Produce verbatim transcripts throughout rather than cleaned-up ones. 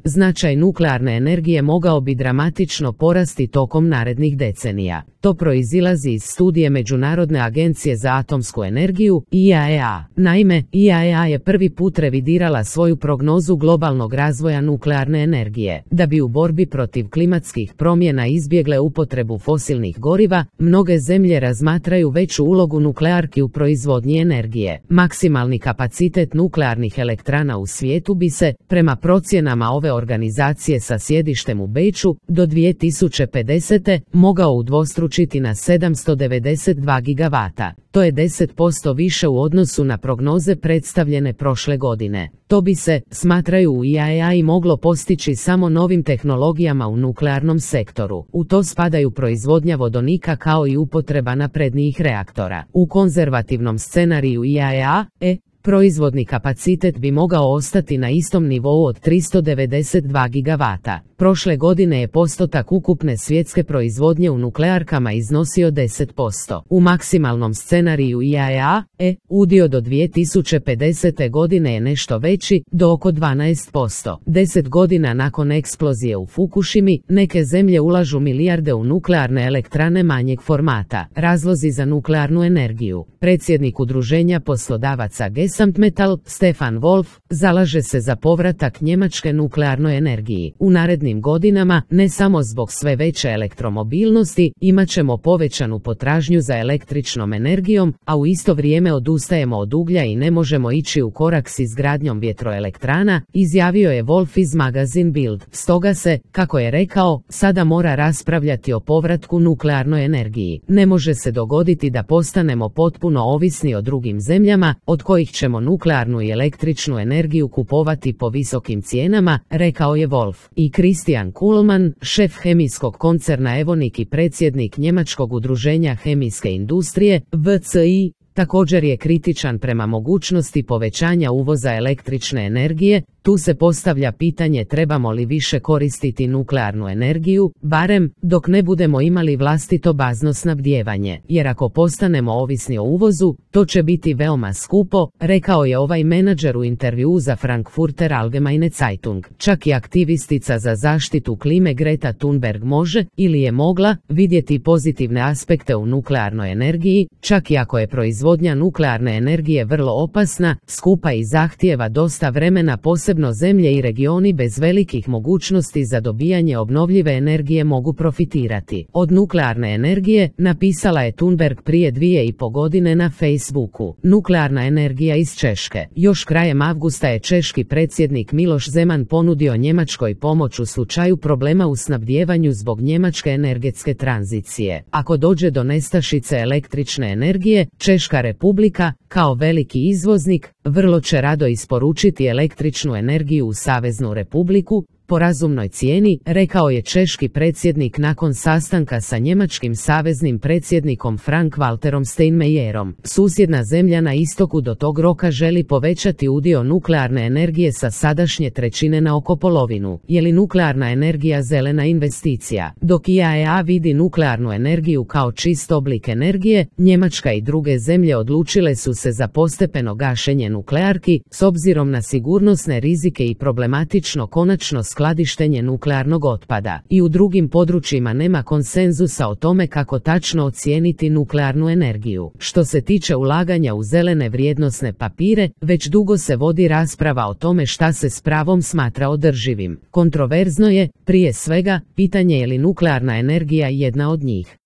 značaj nuklearne energije mogao bi dramatično porasti tokom narednih decenija. To proizilazi iz studije Međunarodne agencije za atomsku energiju I A E A. Naime, I A E A je prvi put revidirala svoju prognozu globalnog razvoja nuklearne energije. Da bi u borbi protiv klimatskih promjena izbjegle upotrebu fosilnih goriva, mnoge zemlje razmatraju veću ulogu nuklearki u proizvodnji energije. Maksimalni kapacitet nuklearnih elektrana u svijetu bi se, prema procjenama ove organizacije sa sjedištem u Beču, do dvije tisuće pedesete mogao udvostručiti na sedamsto devedeset dva gigavata. To je deset posto više u odnosu na prognoze predstavljene prošle godine. To bi se, smatraju u I A E A, i moglo postići samo novim tehnologijama u nuklearnom sektoru. U to spadaju proizvodnja vodonika kao i upotreba naprednijih reaktora. U konzervativnom scenariju I A E A, e, proizvodni kapacitet bi mogao ostati na istom nivou od tristo devedeset dva gigavata. Prošle godine je postotak ukupne svjetske proizvodnje u nuklearkama iznosio deset posto. U maksimalnom scenariju I A E A, e, udio do dvije tisuće pedesete godine je nešto veći, do oko dvanaest posto. Deset godina nakon eksplozije u Fukushimi, neke zemlje ulažu milijarde u nuklearne elektrane manjeg formata. Razlozi za nuklearnu energiju. Predsjednik Udruženja poslodavaca Gesamtmetall, Stefan Wolf, zalaže se za povratak Njemačke nuklearnoj energiji. U narednim godinama, ne samo zbog sve veće elektromobilnosti, imat ćemo povećanu potražnju za električnom energijom, a u isto vrijeme odustajemo od uglja i ne možemo ići u korak s izgradnjom vjetroelektrana, izjavio je Wolf iz magazin Bild. Stoga se, kako je rekao, sada mora raspravljati o povratku nuklearnoj energiji. Ne može se dogoditi da postanemo potpuno ovisni o drugim zemljama, od kojih ćemo nuklearnu i električnu energiju kupovati po visokim cijenama, rekao je Wolf. I Christian Kuhlmann, šef hemijskog koncerna Evonik i predsjednik Njemačkog udruženja hemijske industrije, V C I, također je kritičan prema mogućnosti povećanja uvoza električne energije. Tu se postavlja pitanje trebamo li više koristiti nuklearnu energiju, barem dok ne budemo imali vlastito bazno snabdijevanje, jer ako postanemo ovisni o uvozu, to će biti veoma skupo, rekao je ovaj menadžer u intervjuu za Frankfurter Allgemeine Zeitung. Čak i aktivistica za zaštitu klime Greta Thunberg može, ili je mogla, vidjeti pozitivne aspekte u nuklearnoj energiji, čak i ako je proizvodnja nuklearne energije vrlo opasna, skupa i zahtijeva dosta vremena. Posebno zemlje i regioni bez velikih mogućnosti za dobijanje obnovljive energije mogu profitirati od nuklearne energije, napisala je Thunberg prije dvije i po godine na Facebooku. Nuklearna energija iz Češke. Još krajem avgusta je češki predsjednik Miloš Zeman ponudio Njemačkoj pomoć u slučaju problema u snabdijevanju zbog njemačke energetske tranzicije. Ako dođe do nestašice električne energije, Češka Republika, kao veliki izvoznik, vrlo će rado isporučiti električnu energiju u Saveznu Republiku po razumnoj cijeni, rekao je češki predsjednik nakon sastanka sa njemačkim saveznim predsjednikom Frank-Walterom Steinmeierom. Susjedna zemlja na istoku do tog roka želi povećati udio nuklearne energije sa sadašnje trećine na oko polovinu. Je li nuklearna energija zelena investicija? Dok I A E A vidi nuklearnu energiju kao čist oblik energije, Njemačka i druge zemlje odlučile su se za postepeno gašenje nuklearki, s obzirom na sigurnosne rizike i problematično konačno skladištenje nuklearnog otpada. I u drugim područjima nema konsenzusa o tome kako tačno ocijeniti nuklearnu energiju. Što se tiče ulaganja u zelene vrijednosne papire, već dugo se vodi rasprava o tome šta se s pravom smatra održivim. Kontroverzno je, prije svega, pitanje je li nuklearna energija jedna od njih.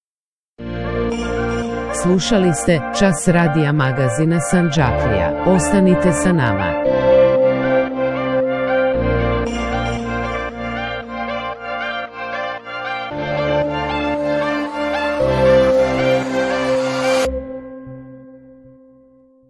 Slušali ste Čas radija magazina Sandžaklija. Ostanite sa nama.